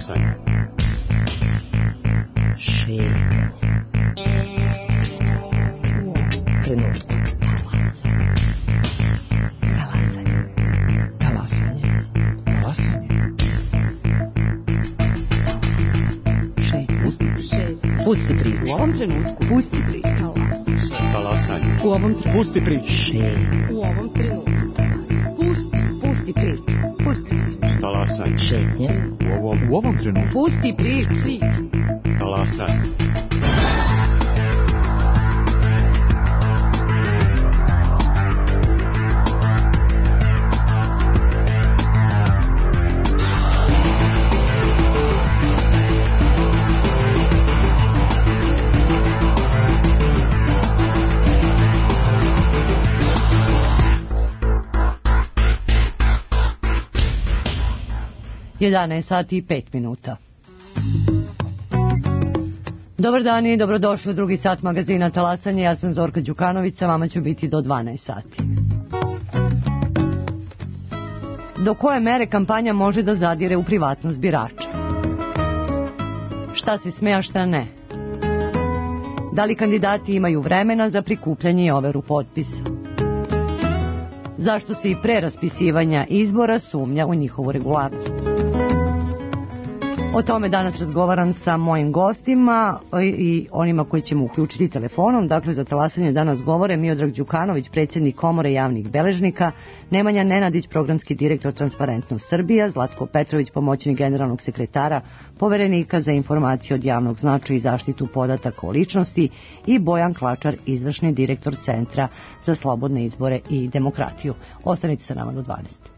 Talasanje. Šetnje. Trenutku. Pusti priču. U ovom trenutku. Pusti priču. Talasanje. U ovom trenutku. Pusti priču. U ovom trenutku. Pusti priču. Pusti priču. Talasanje. Šetnje. U ovom trenutku. Pusti priču. Talasanje. Sati i 5 minuta. Dobar dan i dobrodošli u drugi sat magazina Talasanje. Ja sam Zorka Đukanović, sa vama ću biti do 12 sati. Do koje mere kampanja može da zadire u privatnost birača? Šta se sme, a šta ne? Da li kandidati imaju vremena za prikupljanje i overu potpisa? Zašto se i pre raspisivanja izbora sumnja u njihovu regularnost? O tome danas razgovaram sa mojim gostima i onima koji ćemo uključiti telefonom. Dakle, za Talasanje danas govore Miodrag Đukanović, predsjednik Komore javnih beležnika, Nemanja Nenadić, programski direktor Transparentnost Srbija, Zlatko Petrović, pomoćnik generalnog sekretara, poverenika za informacije od javnog značaja i zaštitu podataka o ličnosti i Bojan Klačar, izvršni direktor Centra za slobodne izbore i demokratiju. Ostanite sa nama do 12.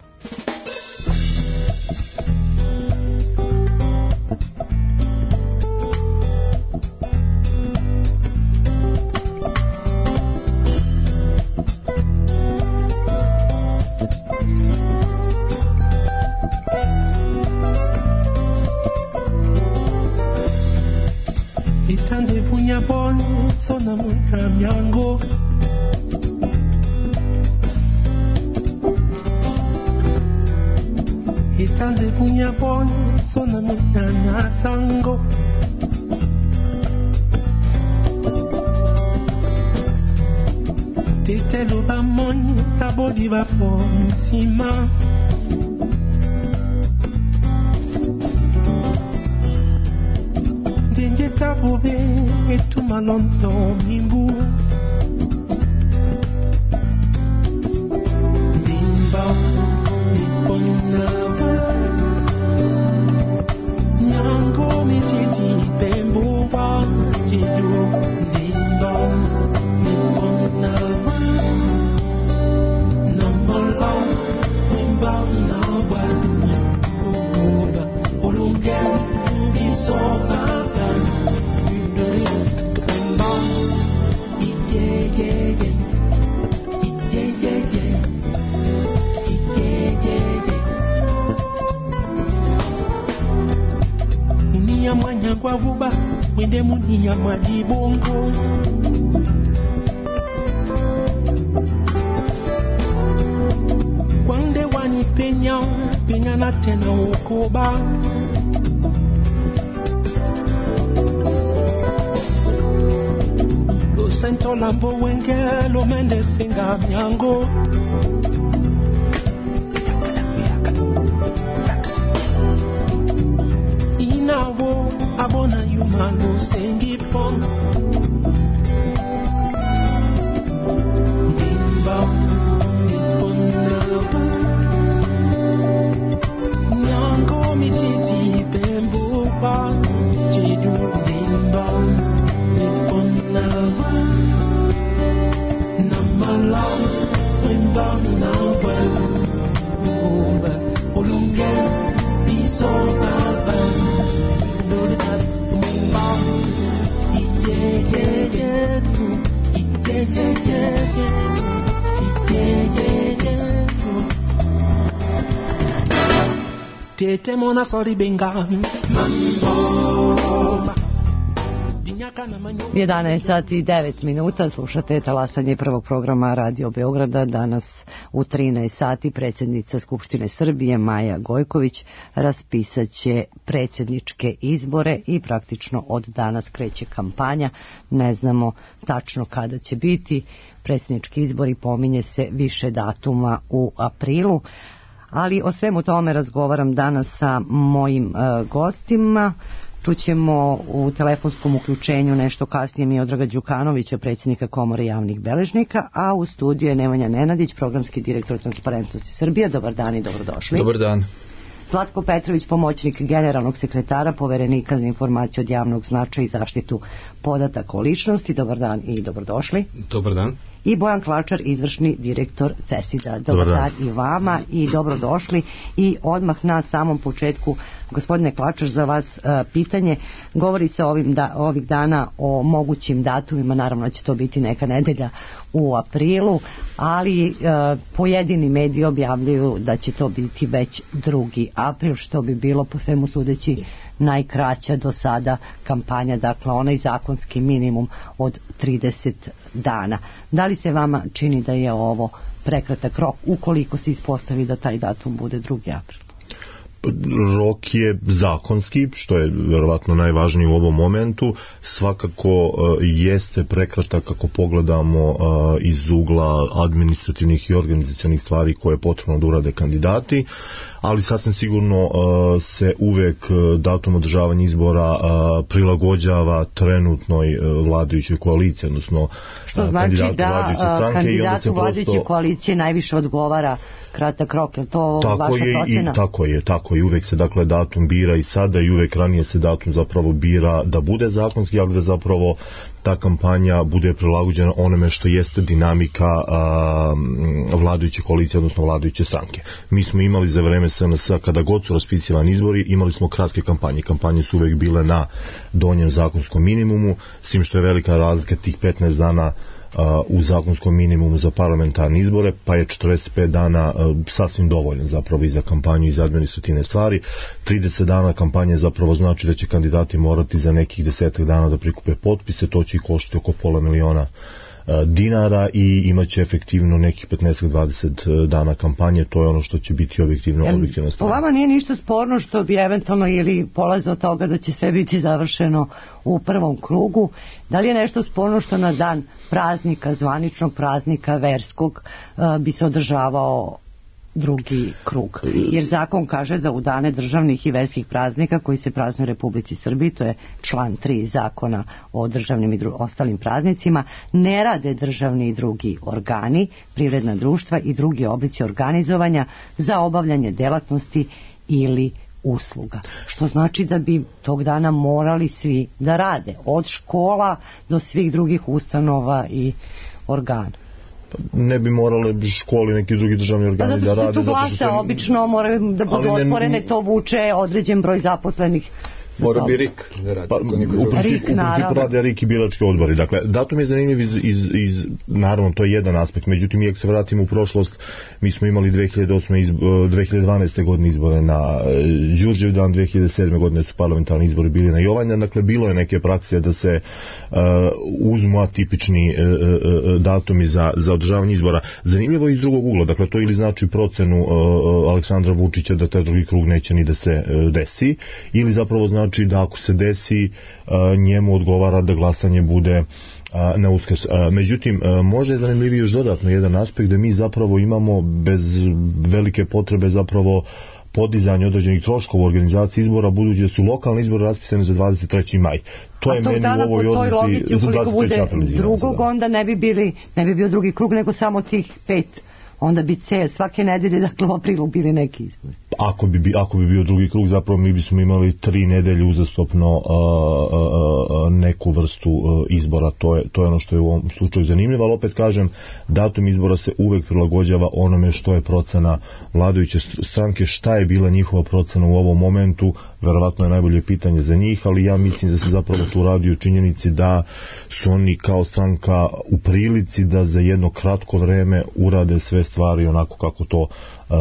11 sati i 9 minuta, slušate talasanje prvog programa Radio Beograda. Danas u 13 sati predsjednica Skupštine Srbije Maja Gojković raspisat će predsjedničke izbore i praktično od danas kreće kampanja. Ne znamo tačno kada će biti predsjednički izbori, pominje se više datuma u aprilu, ali o svemu tome razgovaram danas sa mojim gostima. Čućemo u telefonskom uključenju nešto kasnije Miodraga Đukanovića, predsjednika Komore javnih beležnika, a u studiju je Nemanja Nenadić, programski direktor Transparentnosti Srbije. Dobar dan i dobrodošli. Dobar dan. Zlatko Petrović, pomoćnik generalnog sekretara, poverenika za informaciju od javnog značaja i zaštitu podataka o ličnosti. Dobar dan i dobrodošli. Dobar dan. I Bojan Klačar, izvršni direktor CESID-a. Dobar dan i vama i dobrodošli. I odmah na samom početku, gospodine Klačar, za vas pitanje. Govori se ovih dana o mogućim datumima, naravno će to biti neka nedelja u aprilu, ali pojedini mediji objavljuju da će to biti već 2. april, što bi bilo po svemu sudeći najkraća do sada kampanja, dakle onaj zakonski minimum od 30 dana. Da li se vama čini da je ovo prekratak rok ukoliko se ispostavi da taj datum bude 2. april? Rok je zakonski, što je verovatno najvažnije u ovom momentu. Svakako jeste prekratak ako pogledamo iz ugla administrativnih i organizacionih stvari koje je potrebno da urade kandidati, ali sasvim sigurno se uvek datum održavanja izbora prilagođava trenutnoj vladajućoj koaliciji, odnosno što znači da kandidatu vladajuće koalicije najviše odgovara kratak rok, je to vaša procena? Tako je, uvek se dakle datum bira i sada i uvek ranije se datum zapravo bira da bude zakonski, ali da zapravo ta kampanja bude prilagođena onome što jeste dinamika vladajuće koalicije, odnosno vladajuće stranke. Mi smo imali za vreme SNS, kada god su raspisivani izbori, imali smo kratke kampanje. Kampanje su uvek bile na donjem zakonskom minimumu, s tim što je velika razlika tih 15 dana u zakonskom minimumu za parlamentarne izbore, pa je 45 dana sasvim dovoljno zapravo i za kampanju i za administrativne stvari. 30 dana kampanje zapravo znači da će kandidati morati za nekih 10 dana da prikupe potpise, to će i koštiti oko $500.000 dinara i imaće efektivno nekih 15-20 dana kampanje. To je ono što će biti objektivno stvar. Po vama nije ništa sporno što bi eventualno ili polaze od toga da će sve biti završeno u prvom krugu? Da li je nešto sporno što na dan praznika, zvaničnog praznika verskog, bi se održavao 2. krug? Jer zakon kaže da u dane državnih i verskih praznika koji se praznuju u Republici Srbiji, to je član 3 zakona o državnim i ostalim praznicima, ne rade državni i drugi organi, privredna društva i drugi oblici organizovanja za obavljanje delatnosti ili usluga. Što znači da bi tog dana morali svi da rade, od škola do svih drugih ustanova i organa. Ne bi morale škole i neki drugi državni organi da rade. Tu glase obično moraju da budu otvorene, to vuče određen broj zaposlenih. Mora bi RIK da radi. U principu rade RIK i birački odbori. Dakle, datum je zanimljiv naravno, to je jedan aspekt. Međutim, iako se vratimo u prošlost, mi smo imali 2012. godine izbore na Đurđevdan, 2007. godine su parlamentarni izbori bili na Jovanjdan. Dakle, bilo je neke prakse da se uzmu atipični datumi za održavanje izbora. Zanimljivo je iz drugog ugla. Dakle, to ili znači procenu Aleksandra Vučića da taj 2. krug neće ni da se desi, ili zapravo znači da ako se desi, njemu odgovara da glasanje bude na Uskrs. Međutim, možda je zanimljiviji još dodatno jedan aspekt da mi zapravo imamo bez velike potrebe zapravo podizanje određenih troškova u organizaciji izbora, budući da su lokalni izbori raspisani za 23. maj. To je meni u ovoj odluci za 23. april. Drugog onda ne bi bio 2. krug, nego samo tih 5. Onda bi svake nedelje, dakle u aprilu, bili neki izbori. Ako bi bio 2. krug, zapravo mi bismo imali 3 nedelje uzastopno neku vrstu izbora. To je ono što je u ovom slučaju zanimljivo, ali opet kažem, datum izbora se uvek prilagođava onome što je procena vladajuće stranke. Šta je bila njihova procena u ovom momentu, verovatno je najbolje pitanje za njih, ali ja mislim da se zapravo tu radi o činjenici da su oni kao stranka u prilici da za jedno kratko vreme urade sve stvari onako kako to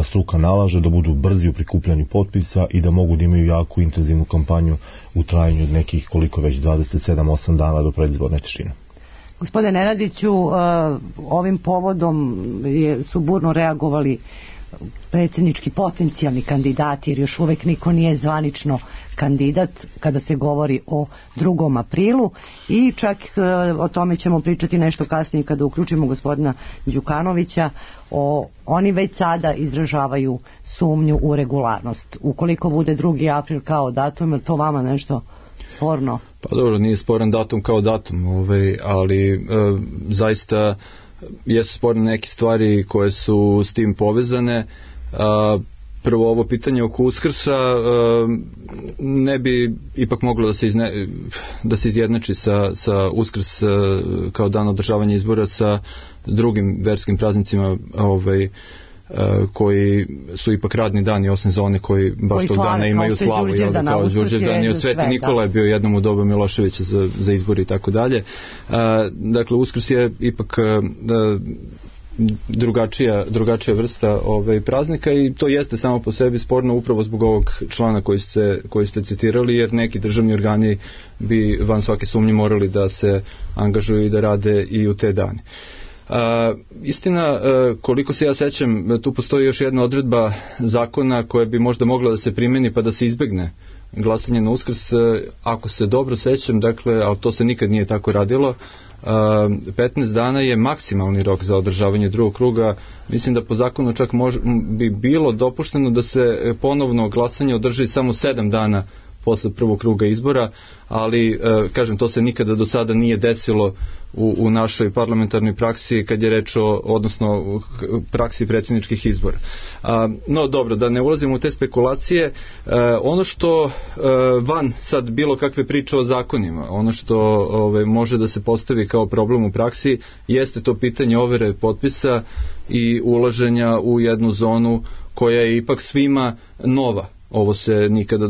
struka nalaže, da budu brzi u prikupljanju potpisa i da mogu da imaju jako intenzivnu kampanju u trajanju od nekih koliko već 27-8 dana do predizborne tišine. Gospodine Nenadiću, ovim povodom su burno reagovali predsjednički potencijalni kandidati, jer još uvek niko nije zvanično kandidat kada se govori o 2. aprilu i čak o tome ćemo pričati nešto kasnije kada uključimo gospodina Đukanovića. Oni već sada izražavaju sumnju u regularnost. Ukoliko bude 2. april kao datum, je to vama nešto sporno? Pa dobro, nije sporan datum kao datum, ali zaista jesu sporne neke stvari koje su s tim povezane. Prvo, ovo pitanje oko Uskrsa ne bi ipak moglo da se izjednači sa Uskrs kao dan održavanja izbora sa drugim verskim praznicima koji su ipak radni dani, osim za one koji baš tog dana imaju slavu, kao Đurđevdan i Sveti Nikola je bio jednom u doba Miloševića za izbor i tako dalje. Dakle, Uskrs je ipak drugačija vrsta praznika i to jeste samo po sebi sporno upravo zbog ovog člana koji ste citirali, jer neki državni organi bi van svake sumnje morali da se angažuju i da rade i u te dane. Istina, koliko se ja sećam, tu postoji još jedna odredba zakona koja bi možda mogla da se primeni pa da se izbegne glasanje na Uskrs, ako se dobro sećam, dakle, ali to se nikad nije tako radilo. 15 dana je maksimalni rok za održavanje 2. kruga. Mislim da po zakonu čak bi bilo dopušteno da se ponovno glasanje održi samo 7 dana posle 1. kruga izbora, ali kažem, to se nikada do sada nije desilo u našoj parlamentarnoj praksi kad je reč odnosno praksi predsjedničkih izbora. No dobro, da ne ulazimo u te spekulacije, ono što van sad bilo kakve priče o zakonima, ono što može da se postavi kao problem u praksi jeste to pitanje overe potpisa i ulaženja u jednu zonu koja je ipak svima nova. Ovo se nikada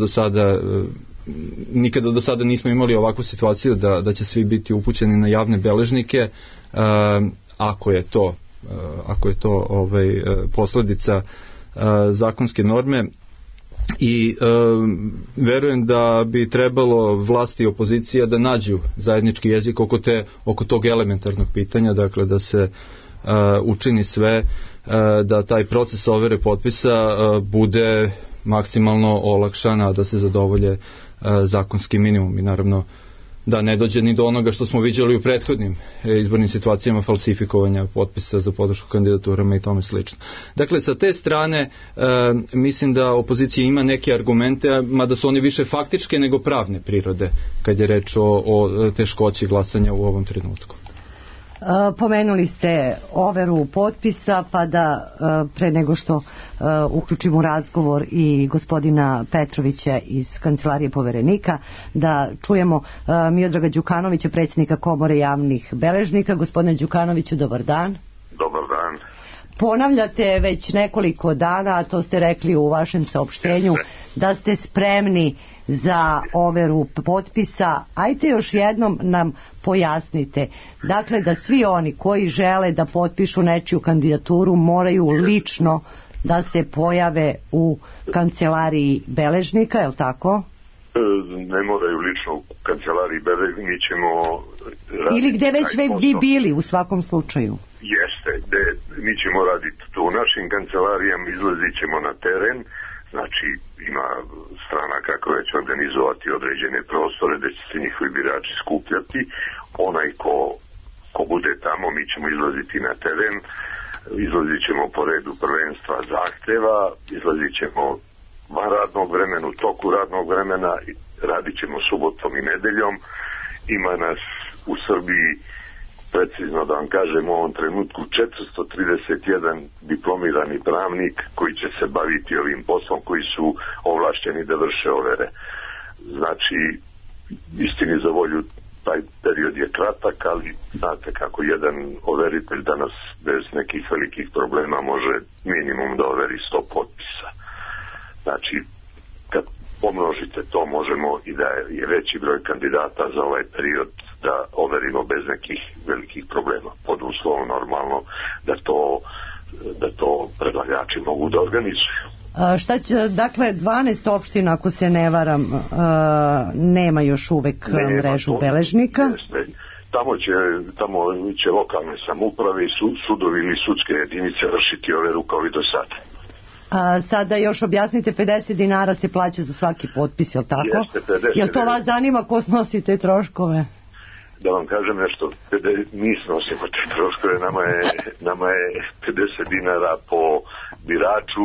do sada nismo imali ovakvu situaciju da će svi biti upućeni na javne beležnike, ako je to posledica zakonske norme. I verujem da bi trebalo vlast i opozicija da nađu zajednički jezik oko tog elementarnog pitanja, dakle da se učini sve da taj proces overe potpisa bude maksimalno olakšana, da se zadovolje zakonski minimum i naravno da ne dođe ni do onoga što smo viđali u prethodnim izbornim situacijama, falsifikovanja potpisa za podršku kandidaturama i tome slično. Dakle, sa te strane mislim da opozicija ima neke argumente, mada su oni više faktičke nego pravne prirode kad je reč o teškoći glasanja u ovom trenutku. Pomenuli ste overu potpisa, pa da pre nego što uključimo razgovor i gospodina Petrovića iz Kancelarije poverenika, da čujemo Miodraga Đukanovića, predsjednika Komore javnih beležnika. Gospodine Đukanoviću, dobar dan. Dobar dan. Ponavljate već nekoliko dana, a to ste rekli u vašem saopštenju, da ste spremni za overu potpisa. Ajte još jednom nam pojasnite. Dakle, da svi oni koji žele da potpišu nečiju kandidaturu moraju lično da se pojave u kancelariji beležnika, je li tako? Ne moraju lično u kancelariji beležnika, mi ćemo... Ili gde već vi bili u svakom slučaju? Jeste, mi ćemo raditi to u našim kancelarijama, izlazit ćemo na teren, znači ima strana kako već organizovati određene prostore da će se njihovi birači skupljati. Onaj ko bude tamo, mi ćemo izlaziti na teren, izlazit ćemo po redu prvenstva zahteva, izlazit ćemo van radnog vremena, u toku radnog vremena, radit ćemo subotom i nedeljom. Ima nas u Srbiji, precizno da vam kažem, u ovom trenutku 431 diplomirani pravnik koji će se baviti ovim poslom, koji su ovlašćeni da vrše overe. Znači, istini za volju, taj period je kratak, ali znate kako jedan overitelj danas bez nekih velikih problema može minimum da overi 100 potpisa. Znači, kad pomnožite to, možemo i da je veći broj kandidata za ovaj period da overimo bez nekih velikih problema, pod uslovom normalno da to predlagači mogu da organizuju. Šta će, dakle, 12 opština, ako se ne varam, nema još uvek mrežu beležnika. Tamo će lokalne samouprave i sudovi ili sudske jedinice vršiti overu kao i do sada. Sada još objasnite, 50 dinara se plaća za svaki potpis, je li tako? Jeste, 50. Jel to vas zanima ko snosi te troškove? Da vam kažem nešto, mi snosimo te troškove, nama je 50 dinara po biraču,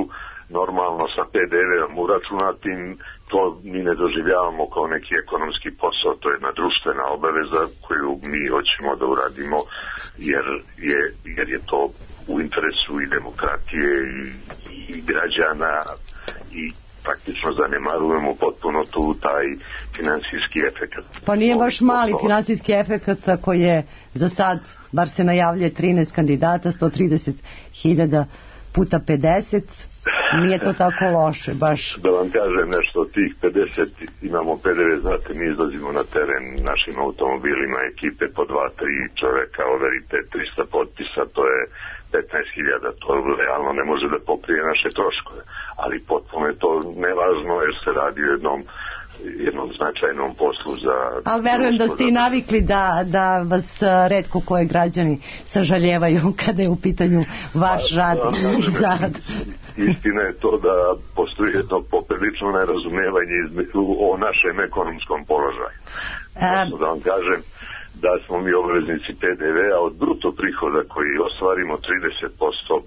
normalno sa PDV-om uračunatim, to mi ne doživljavamo kao neki ekonomski posao, to je jedna društvena obaveza koju mi hoćemo da uradimo jer je to u interesu i demokratije i građana i praktično zanemarujemo potpuno taj finansijski efekat. Pa nije baš mali finansijski efekat ako je za sad, bar se najavljuje 13 kandidata, 130.000 puta 50, nije to tako loše, baš. Da vam kažem nešto, od tih 50 imamo PDV, znate, mi izlazimo na teren našim automobilima, ekipe po 2-3 čoveka, overite 300 potpisa, to je 15.000, to realno ne može da pokrije naše troškove, ali potpuno je to nevažno jer se radi o jednom značajnom poslu za... Ali verujem da ste i navikli da vas retko koje građani sažaljevaju kada je u pitanju vaš rad i zarad. Istina je to da postoji jedno poprilično nerazumevanje o našem ekonomskom položaju. Da vam kažem da smo mi obveznici PDV-a od bruto prihoda koji ostvarimo 30%,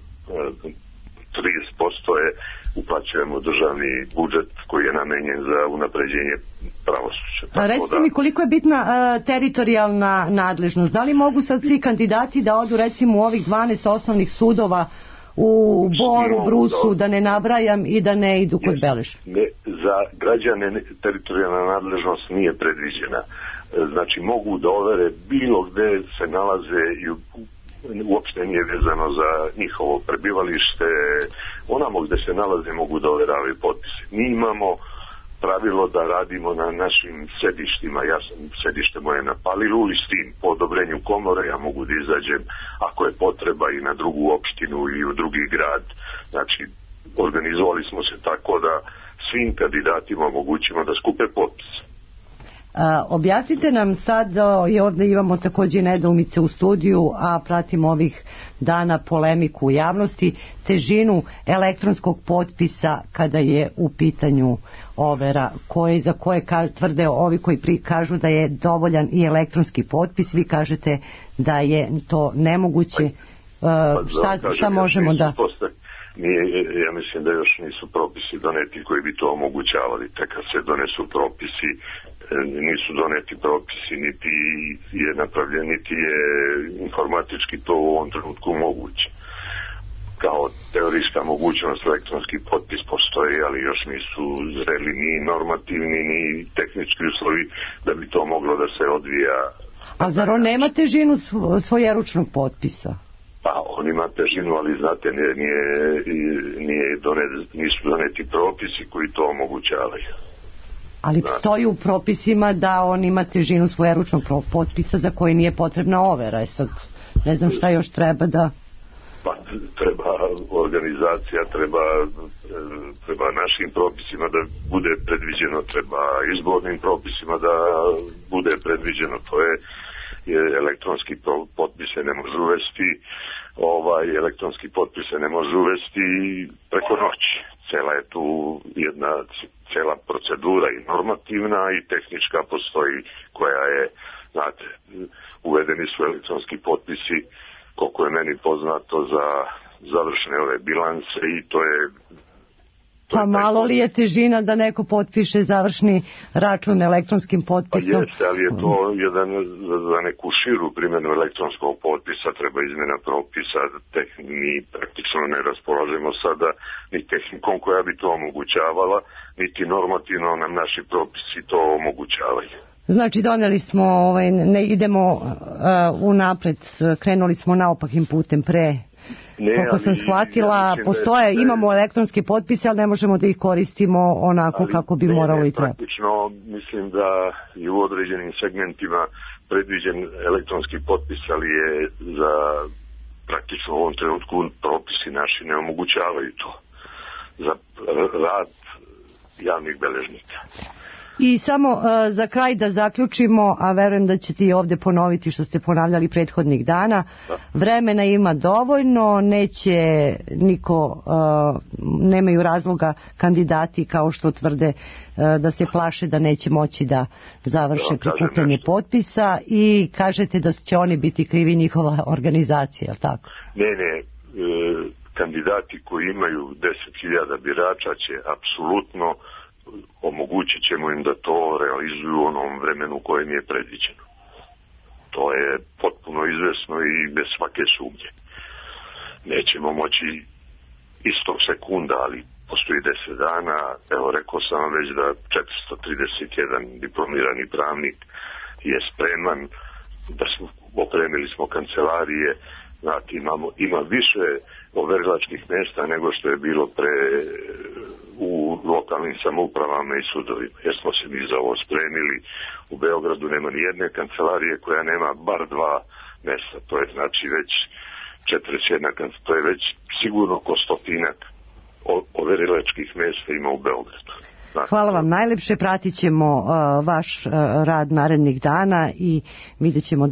30% je uplaćujemo državni budžet koji je namenjen za unapređenje pravosuđa. A recite mi koliko je bitna teritorijalna nadležnost? Da li mogu sad svi kandidati da odu recimo u ovih 12 osnovnih sudova u Boru, Brusu, da ne nabrajam i da ne idu kod beležnika? Za građane teritorijalna nadležnost nije predviđena. Znači mogu da overe bilo gde se nalaze i uopšte nije vezano za njihovo prebivalište, onamo gde se nalaze mogu da overavaju potpise. Mi imamo pravilo da radimo na našim sedištima, sedište moje na Palilu i s tim po odobrenju komore ja mogu da izađem ako je potreba i na drugu opštinu ili u drugi grad. Znači organizovali smo se tako da svim kandidatima omogućimo da skupe potpise. Objasnite nam sad, i ovdje imamo također nedoumice u studiju, a pratimo ovih dana polemiku u javnosti, težinu elektronskog potpisa kada je u pitanju overa, za koje tvrde ovi koji kažu da je dovoljan i elektronski potpis, vi kažete da je to nemoguće. Šta možemo da... Ja mislim da još nisu propisi doneti koji bi to omogućavali. Tek kad se donesu propisi, nisu doneti propisi, niti je napravljen, niti je informatički to u ovom trenutku moguće. Kao teorijska mogućnost elektronski potpis postoji, ali još nisu zreli ni normativni, ni tehnički uslovi da bi to moglo da se odvija. A zar on nema težinu svojeručnog potpisa? Pa on ima težinu, ali znate, nisu doneti propisi koji to omogućavaju. Ali stoji u propisima da on ima težinu svojeručnog potpisa za koji nije potrebna overa. Sad ne znam šta još treba da... Pa treba organizacija, treba našim propisima da bude predviđeno, treba izbornim propisima da bude predviđeno. To je elektronski potpis se ne može uvesti, elektronski potpis se ne može uvesti preko noći. Cela je tu jedna cela procedura i normativna i tehnička postoji koja je, znate, uvedeni su elektronski potpisi, koliko je meni poznato, za završene ove bilanse i to je... Pa malo li je težina da neko potpiše završni račun elektronskim potpisom? Pa jeste, ali je to za neku širu primjenu elektronskog potpisa treba izmjena propisa. Mi praktično ne raspolažemo sada ni tehnikom koja bi to omogućavala, niti normativno nam naši propisi to omogućavaju. Znači doneli smo, ne idemo unapred, krenuli smo naopakim putem pre... Koliko sam shvatila, postoje, imamo elektronske potpise, ali ne možemo da ih koristimo onako kako bi moralo i treba. Praktično mislim da i u određenim segmentima predviđen elektronski potpis, ali je za praktično u ovom trenutku propisi naši ne omogućavaju to. za rad javnih beležnika. I samo za kraj da zaključimo, a verujem da ćete i ovdje ponoviti što ste ponavljali prethodnih dana, vremena ima dovoljno, neće niko, nemaju razloga kandidati kao što tvrde da se plaše da neće moći da završe prikupljanje potpisa i kažete da će oni biti krivi, njihova organizacija, je li tako? Ne, kandidati koji imaju 10.000 birača će apsolutno omogućit ćemo im da to realizuju u onom vremenu kojem je predviđeno. To je potpuno izvesno i bez svake sumnje. Nećemo moći istog sekunda, ali postoji 10 dana. Evo, rekao sam vam već da 431 diplomirani pravnik je spreman, da smo opremili smo kancelarije, znate, ima više overilačkih mjesta nego što je bilo u lokalnim samoupravama i sudovima. Jer smo se mi za ovo spremili. U Beogradu nema ni jedne kancelarije koja nema bar 2 mjesta. To je znači već 41, to je već sigurno oko 100-ak overilačkih mjesta ima u Beogradu. Znači, hvala vam najlepše, pratit ćemo vaš rad narednih dana i vidjet ćemo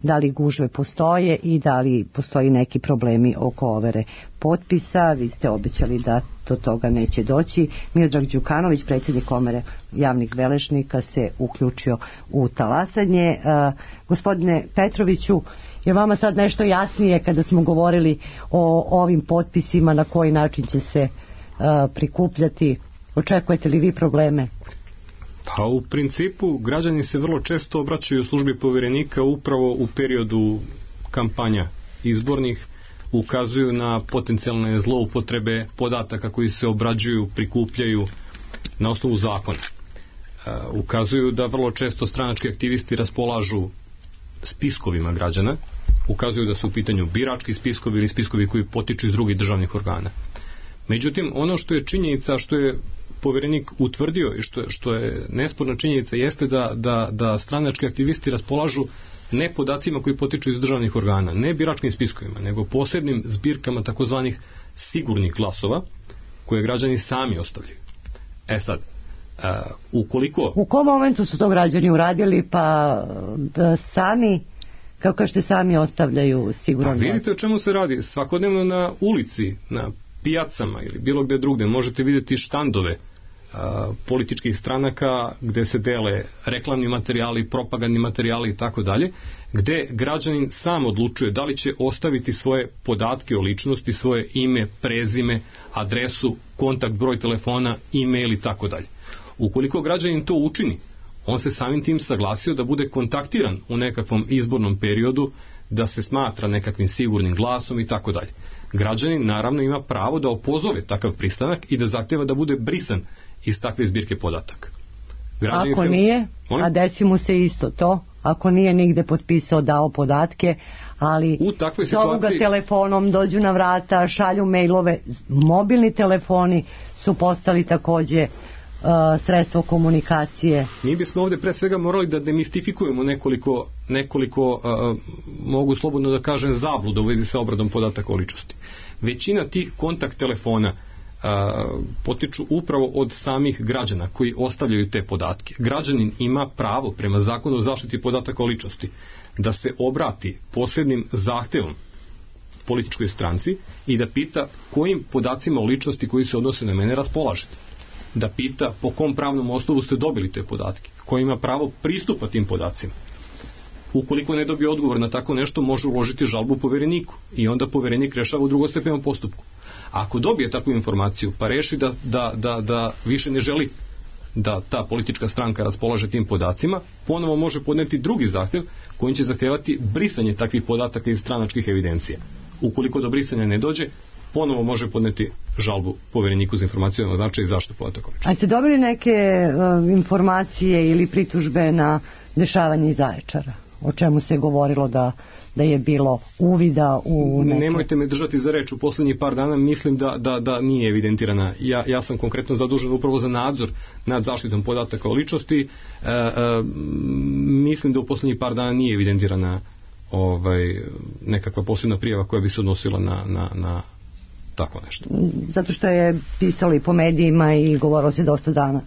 da li gužve postoje i da li postoji neki problemi oko overe potpisa. Vi ste obećali da do toga neće doći. Miodrag Đukanović, predsjednik Komore javnih beležnika, se uključio u talasanje. Gospodine Petroviću, je vama sad nešto jasnije kada smo govorili o ovim potpisima, na koji način će se prikupljati? Očekujete li vi probleme? Pa u principu građani se vrlo često obraćaju u službi povjerenika upravo u periodu kampanja izbornih, ukazuju na potencijalne zloupotrebe podataka koji se obrađuju, prikupljaju na osnovu zakona. Ukazuju da vrlo često stranački aktivisti raspolažu spiskovima građana, ukazuju da su u pitanju birački spiskovi ili spiskovi koji potiču iz drugih državnih organa. Međutim, ono što je činjenica, što je povjerenik utvrdio i što je nesporna činjenica, jeste da stranački aktivisti raspolažu ne podacima koji potiču iz državnih organa, ne biračkim spiskovima, nego posebnim zbirkama takozvanih sigurnih glasova koje građani sami ostavljaju. Sad, ukoliko... U kom momentu su to građani uradili, pa da sami, kako kažete, sami ostavljaju siguran glas? Vidite o čemu se radi. Svakodnevno na ulici, na pijacama ili bilo gdje drugdje možete vidjeti štandove političkih stranaka gdje se dele reklamni materijali, propagandni materijali i tako dalje, gdje građanin sam odlučuje da li će ostaviti svoje podatke o ličnosti, svoje ime, prezime, adresu, kontakt broj telefona, e-mail i tako dalje. Ukoliko građanin to učini, on se samim tim saglasio da bude kontaktiran u nekakvom izbornom periodu, da se smatra nekakvim sigurnim glasom i tako dalje. Građanin naravno ima pravo da opozove takav pristanak i da zahtjeva da bude brisan iz takve zbirke podataka. Ako nije, a desi mu se isto to, ako nije nigde potpisao, dao podatke, ali zovu ga telefonom, dođu na vrata, šalju mailove, mobilni telefoni su postali također sredstvo komunikacije. Mi bismo ovdje pre svega morali da demistifikujemo nekoliko mogu slobodno da kažem, zabluda u vezi sa obradom podataka o ličnosti. Većina tih kontakt telefona potiču upravo od samih građana koji ostavljaju te podatke. Građanin ima pravo prema zakonu o zaštiti podataka o ličnosti da se obrati posebnim zahtjevom političkoj stranci i da pita kojim podacima o ličnosti koji se odnose na mene raspolažete. Da pita po kom pravnom osnovu ste dobili te podatke, ko ima pravo pristupa tim podacima. Ukoliko ne dobije odgovor na tako nešto, može uložiti žalbu povjereniku i onda povjerenik rešava u drugostepenom postupku. Ako dobije takvu informaciju pa reši da više ne želi da ta politička stranka raspolaže tim podacima, ponovo može podneti drugi zahtjev kojim će zahtjevati brisanje takvih podataka iz stranačkih evidencija. Ukoliko do brisanja ne dođe, ponovo može podneti žalbu povjereniku za informacijama značaj i zaštitu podataka. A ste dobili neke informacije ili pritužbe na dešavanje iz Zaječara? O čemu se govorilo da je bilo uvida u neke... Nemojte me držati za reč, u posljednjih par dana mislim da nije evidentirana. Ja sam konkretno zadužen upravo za nadzor nad zaštitom podataka o ličnosti. Mislim da u posljednjih par dana nije evidentirana nekakva posebna prijava koja bi se odnosila na tako nešto. Zato što je pisalo i po medijima i govorilo se dosta dana.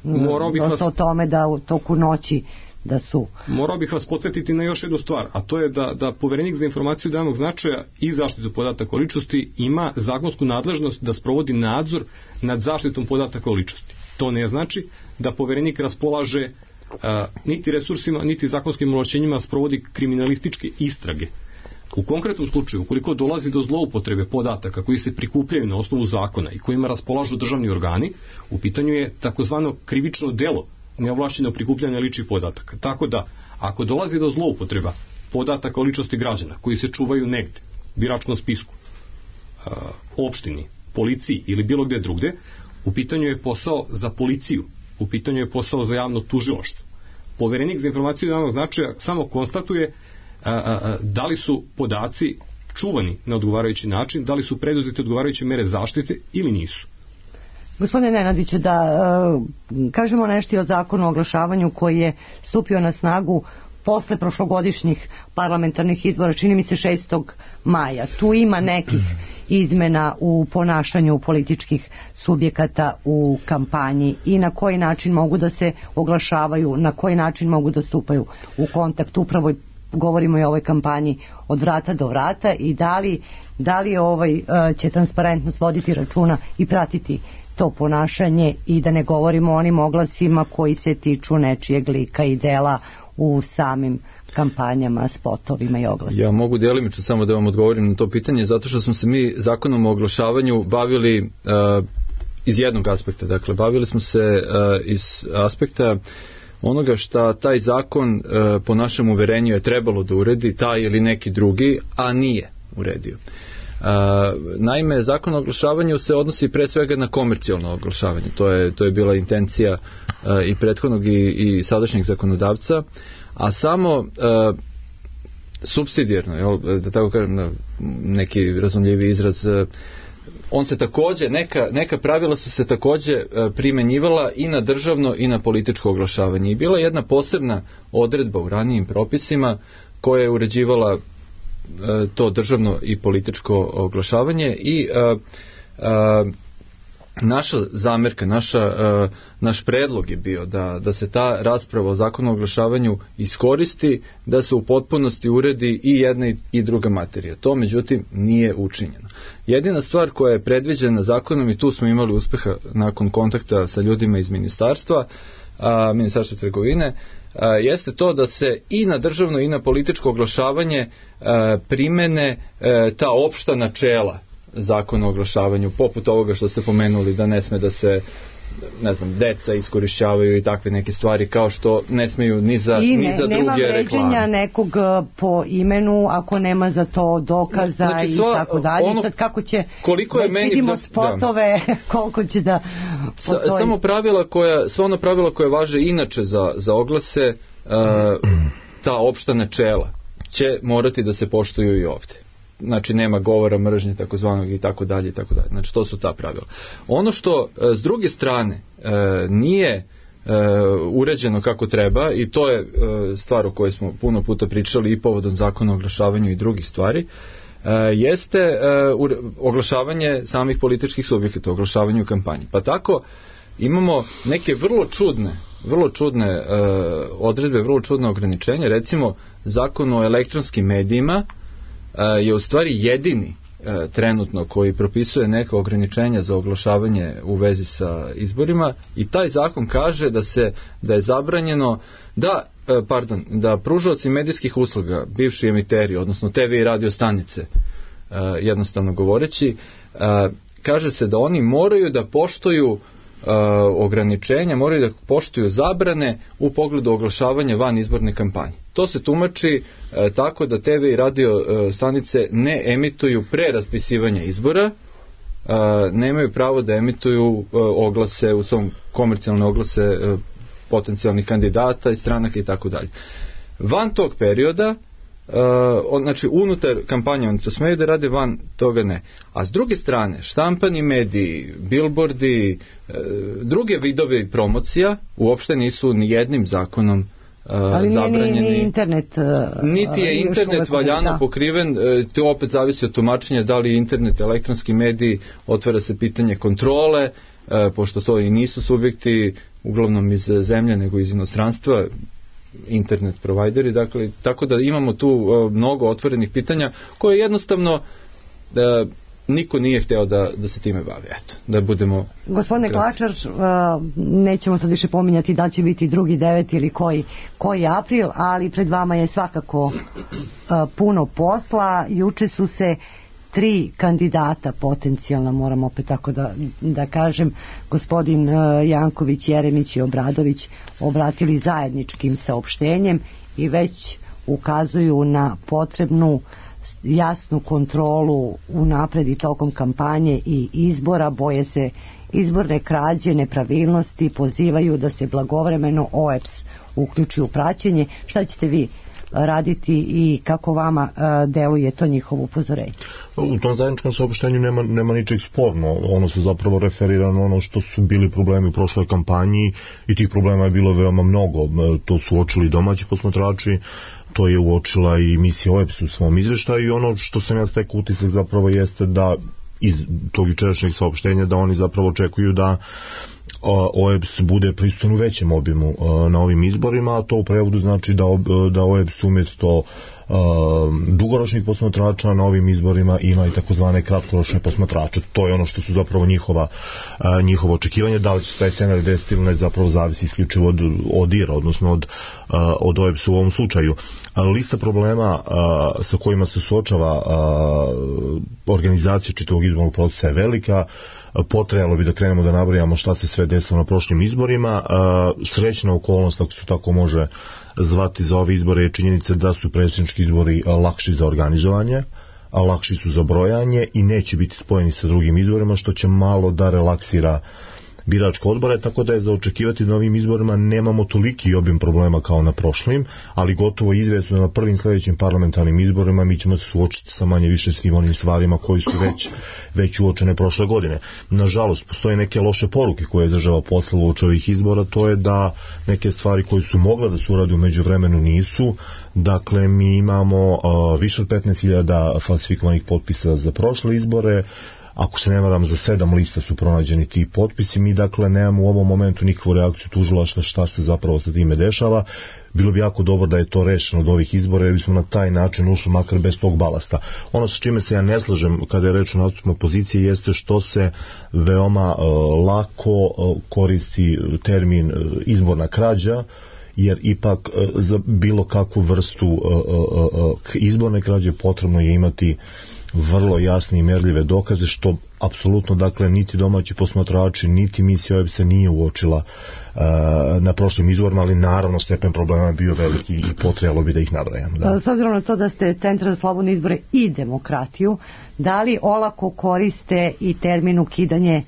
Dosta o tome da u toku noći da su... Morao bih vas podsjetiti na još jednu stvar, a to je da Poverenik za informaciju od javnog značaja i zaštitu podataka o ličnosti ima zakonsku nadležnost da sprovodi nadzor nad zaštitom podataka o ličnosti. To ne znači da Poverenik raspolaže niti resursima, niti zakonskim ovlašćenjima sprovodi kriminalističke istrage. U konkretnom slučaju, ukoliko dolazi do zloupotrebe podataka koji se prikupljaju na osnovu zakona i kojima raspolažu državni organi, u pitanju je takozvano krivično delo neovlašćeno prikupljanje ličnih podataka. Tako da, ako dolazi do zloupotreba podataka o ličnosti građana koji se čuvaju negde, biračkom spisku, opštini, policiji ili bilo gde drugde, u pitanju je posao za policiju, u pitanju je posao za javno tužilaštvo. Poverenik za informaciju od javnog značaja samo konstatuje da li su podaci čuvani na odgovarajući način, da li su preduzete odgovarajuće mere zaštite ili nisu. Gospodine Nenadiću, da kažemo nešto i o zakonu o oglašavanju koji je stupio na snagu posle prošlogodišnjih parlamentarnih izbora, čini mi se 6. maja. Tu ima nekih izmena u ponašanju političkih subjekata u kampanji i na koji način mogu da se oglašavaju, na koji način mogu da stupaju u kontakt. Upravo govorimo i o ovoj kampanji od vrata do vrata i da li će transparentnost voditi računa i pratiti to ponašanje i da ne govorimo o onim oglasima koji se tiču nečijeg lika i dela u samim kampanjama, spotovima i oglasima. Ja mogu djelimično samo da vam odgovorim na to pitanje, zato što smo se mi zakonom o oglašavanju bavili iz jednog aspekta. Dakle, bavili smo se iz aspekta onoga šta taj zakon po našem uverenju je trebalo da uredi, taj ili neki drugi, a nije uredio. Naime, zakon o oglašavanju se odnosi pre svega na komercijalno oglašavanje. To je bila intencija i prethodnog i sadašnjeg zakonodavca, a samo supsidijarno, da tako kažem, neki razumljivi izraz, on se takođe, neka pravila su se takođe primenjivala i na državno i na političko oglašavanje. I bila je jedna posebna odredba u ranijim propisima koja je uređivala to državno i političko oglašavanje i naša zamerka, naš predlog je bio da se ta rasprava o zakonu o oglašavanju iskoristi, da se u potpunosti uredi i jedna i druga materija. To međutim nije učinjeno. Jedina stvar koja je predviđena zakonom, i tu smo imali uspeha nakon kontakta sa ljudima iz ministarstva trgovine, jeste to da se i na državno i na političko oglašavanje primene ta opšta načela zakona o oglašavanju, poput ovoga što ste pomenuli, da ne sme da se deca iskorišćavaju i takve neke stvari, kao što ne smeju ni za druge reklame. I nema vređenja nekog po imenu ako nema za to dokaza i tako dalje. Sad kako će, već vidimo spotove, koliko će da... Sva ona pravila koja važe inače za oglase, ta opšta načela će morati da se poštuju i ovdje. Znači nema govora mržnje takozvanog i tako dalje i tako dalje. Znači to su ta pravila. Ono što s druge strane nije uređeno kako treba, i to je stvar o kojoj smo puno puta pričali i povodom zakona o oglašavanju i drugih stvari, jeste oglašavanje samih političkih subjekata, oglašavanje u kampanji. Pa tako imamo neke vrlo čudne odredbe, vrlo čudne ograničenja. Recimo, zakon o elektronskim medijima je u stvari jedini trenutno koji propisuje neka ograničenja za oglašavanje u vezi sa izborima, i taj zakon kaže da je zabranjeno da pružaoci medijskih usluga, bivši emiteri, odnosno TV i radio stanice, jednostavno govoreći, kaže se da oni moraju da poštuju ograničenja, moraju da poštuju zabrane u pogledu oglašavanja van izborne kampanje. To se tumači tako da TV i radio stanice ne emituju pre raspisivanja izbora, nemaju pravo da emituju oglase, u svom komercijalne oglase potencijalnih kandidata i stranaka i tako dalje. Van tog perioda, znači unutar kampanje oni to smeju da rade, van toga ne. A s druge strane, štampani mediji, billboardi, druge vidove promocija uopšte nisu ni jednim zakonom zabranjeni. Ali internet... Niti je internet valjano pokriven, to opet zavisi od tumačenja da li je internet elektronski medij, otvara se pitanje kontrole, pošto to i nisu subjekti uglavnom iz zemlje nego iz inostranstva, internet provajderi, dakle, tako da imamo tu mnogo otvorenih pitanja koje jednostavno niko nije hteo da se time bavi. Eto, da budemo... Gospodine Klačar, nećemo sad više pominjati da će biti 2.9. ili koji april, ali pred vama je svakako puno posla. Juče su se 3 kandidata potencijalno, moram opet tako da kažem, gospodin Janković, Jeremić i Obradović obratili zajedničkim saopštenjem i već ukazuju na potrebnu jasnu kontrolu unapred i tokom kampanje i izbora, boje se izborne krađe, nepravilnosti, pozivaju da se blagovremeno OEBS uključi u praćenje. Šta ćete vi raditi i kako vama deluje to njihovo upozorenje? U tom zajedničkom saopštenju nema ničeg sporno. Ono se zapravo referira na ono što su bili problemi u prošloj kampanji i tih problema je bilo veoma mnogo. To su uočili domaći posmatrači, to je uočila i misija OEBS u svom izveštaju i ono što sam ja stekao utisak zapravo jeste da iz tog jučerašnjeg saopštenja da oni zapravo očekuju da OEBS bude prisutan u većem obimu na ovim izborima, a to u prevodu znači da OEBS umjesto dugoročnih posmatrača na ovim izborima ima i takozvane kratkoročne posmatrače. To je ono što su zapravo njihovo očekivanje. Da li će se taj scenar desiti ili ne, zapravo zavisi isključivo od IR, odnosno od OEBS u ovom slučaju. Lista problema sa kojima se suočava organizacija čitavog izbornog procesa je velika. Potrajalo bi da krenemo da nabrajamo šta se sve desilo na prošlim izborima. Srećna okolnost, ako se tako može zvati, za ove izbore je činjenica da su predsjednički izbori lakši za organizovanje, a lakši su za brojanje i neće biti spojeni sa drugim izborima, što će malo da relaksira biračke odbore, tako da je za očekivati da na ovim izborima nemamo toliki obim problema kao na prošlim, ali gotovo izvjesno na prvim sljedećim parlamentarnim izborima mi ćemo se suočiti sa manje više svim onim stvarima koji su već uočene prošle godine. Nažalost, postoje neke loše poruke koje je država poslala uoči ovih izbora, to je da neke stvari koje su mogle da se urade u međuvremenu nisu. Dakle, mi imamo više od 15.000 falsifikovanih potpisa za prošle izbore. Ako se ne varam, za 7 lista su pronađeni ti potpisi. Mi dakle nemamo u ovom momentu nikakvu reakciju tužilaštva šta se zapravo sa time dešava. Bilo bi jako dobro da je to rešeno od ovih izbora, jer bismo na taj način ušli makar bez tog balasta. Ono sa čime se ja ne slažem kada je reč o nastupima opozicije jeste što se veoma lako koristi termin izborna krađa, jer ipak za bilo kakvu vrstu izborne krađe potrebno je imati vrlo jasne i merljive dokaze, što apsolutno, dakle, niti domaći posmatrači, niti misija OEBS nije uočila na prošlim izborima, ali naravno stepen problema je bio veliki i potrebalo bi da ih nabrajamo. Da. S obzirom na to da ste Centar za slobodne izbore i demokratiju, da li olako koriste i termin ukidanje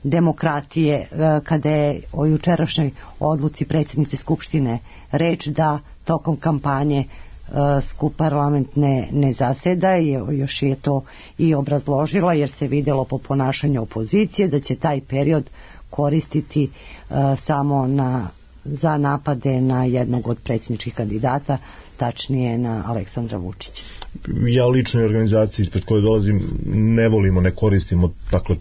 demokratije kada je o jučerašnjoj odluci predsjednice Skupštine reč da tokom kampanje skup parlament ne zaseda, i još je to i obrazložila, jer se vidjelo po ponašanju opozicije da će taj period koristiti samo za napade na jednog od predsjedničkih kandidata, tačnije na Aleksandra Vučića. Ja lično i organizaciji ispred koje dolazim ne koristimo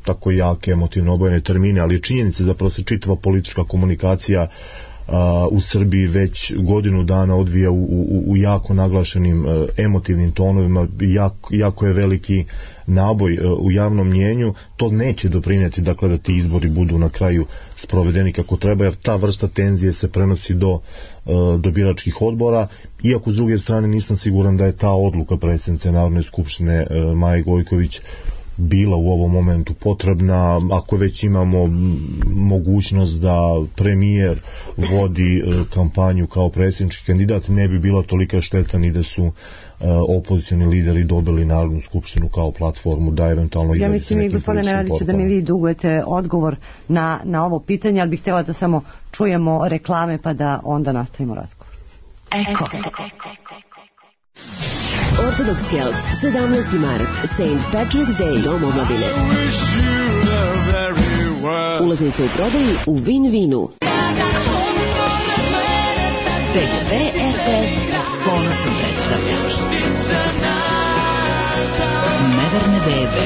tako jake emotivno obojene termine, ali činjenica zapravo se čitava politička komunikacija u Srbiji već godinu dana odvija u jako naglašenim emotivnim tonovima, jako je veliki naboj u javnom mnjenju. To neće doprinijeti, dakle, da ti izbori budu na kraju sprovedeni kako treba, jer ta vrsta tenzije se prenosi do biračkih odbora, iako s druge strane nisam siguran da je ta odluka predsjednice Narodne skupštine Maje Gojković bila u ovom momentu potrebna. Ako već imamo mogućnost da premijer vodi kampanju kao predsjednički kandidat, ne bi bila tolika šteta ni da su opozicioni lideri dobili Narodnu skupštinu kao platformu da eventualno ja mislim i gospodine Radiću da mi vi dugujete odgovor na ovo pitanje, ali bih htjela da samo čujemo reklame pa da onda nastavimo razgovor. Eko. Orthodox Celts, 17. mart, St. Patrick's Day, Dom omladine. Ulaznice u prodaju u Win-Winu. PGP RTS s ponosom predstavlja Neverne bebe.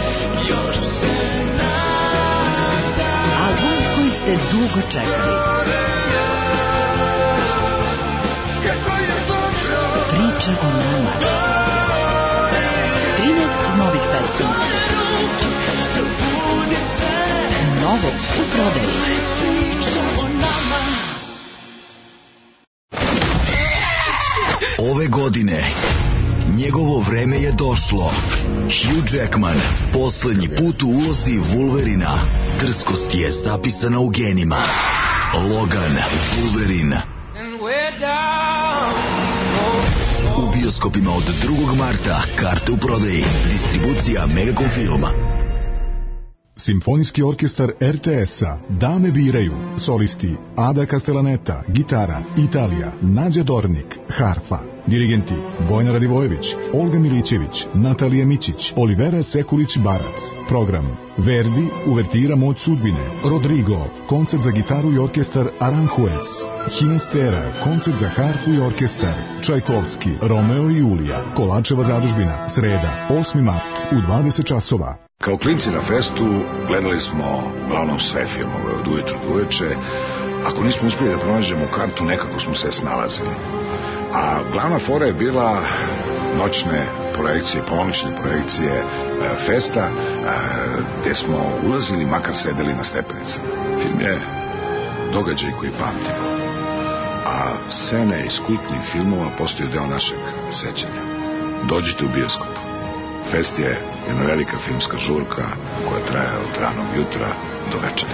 Album koji ste dugo čekali. Priča o nama. 13 novih pesama. Novo u prodaji. Ove godine njegovo vreme je došlo. Hugh Jackman poslednji put u ulozi Wolverina. Drskost je zapisana u genima. Logan, Wolverine. U bioskopima od 2. marta. Karte u prodaji. Distribucija Megacom Filma. Simfonijski orkestar RTS-a Dame biraju. Solisti Ada Castellaneta, gitara, Italija, Nađa Dornik, harfa. Dirigenti Bojana Radivojević, Olga Milićević, Natalija Mićić, Olivera Sekulić-Barac. Program: Verdi, uvertira Moć sudbine, Rodrigo, koncert za gitaru i orkestar Aranjuez, Hinestera, koncert za harfu i orkestar, Čajkovski, Romeo i Julija, Kolačeva zadužbina, sreda, 8. mart u 20 časova. Kao klinci na festu gledali smo uglavnom sve filmove od ujutru do uveče. Ako nismo uspjeli da pronađemo kartu, nekako smo se snalazili. A glavna fora je bila noćne projekcije, ponoćne projekcije festa, gde smo ulazili, makar sedeli na stepenicama. Film je događaj koji pamtimo. A scene iz kultnih filmova postaju deo našeg sećanja. Dođite u bioskop. Fest je jedna velika filmska žurka koja traje od ranog jutra do večera.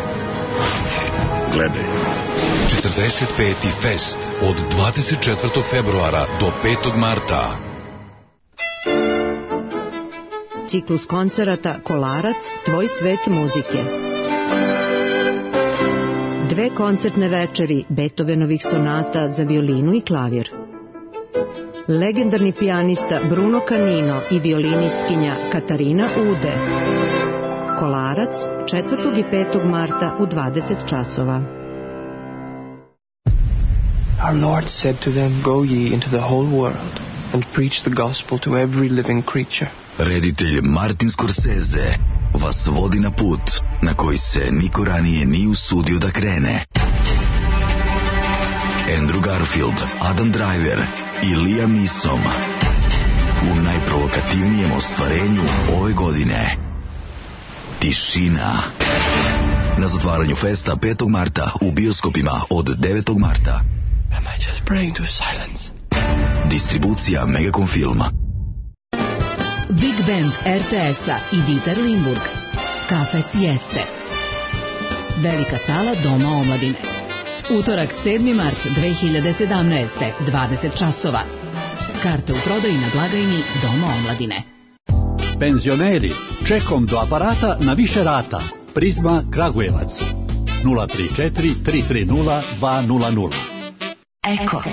Gledaj. 45. fest od 24. februara do 5. marta. Ciklus koncerata Kolarac, tvoj svet muzike. 2 koncertne večeri Beethovenovih sonata za violinu i klavir. Legendarni pijanista Bruno Canino i violinistkinja Katarina Ude. Kolarac 4. i 5. marta u 20 časova. Our Lord said to them, go ye into the whole world and preach the gospel to every living creature. Reditelj Martin Scorsese vas vodi na put na koji se niko ranije nije usudio da krene. Andrew Garfield, Adam Driver i Liam Neeson u najprovokativnijem ostvarenju ove godine. Tišina. Na zatvaranju festa 5. marta u bioskopima od 9. marta. Am I just praying to silence? Distribucija Megacom Filma. Big Band RTS-a i Dieter Limburg. Kafe Sieste. Velika sala Doma omladine. Utorak 7. mart 2017. 20 časova. Karte u prodaji na blagajni Doma omladine. Penzioneri, čekom do aparata na više rata. Prizma Kragujevac. 034 330 200. Eko.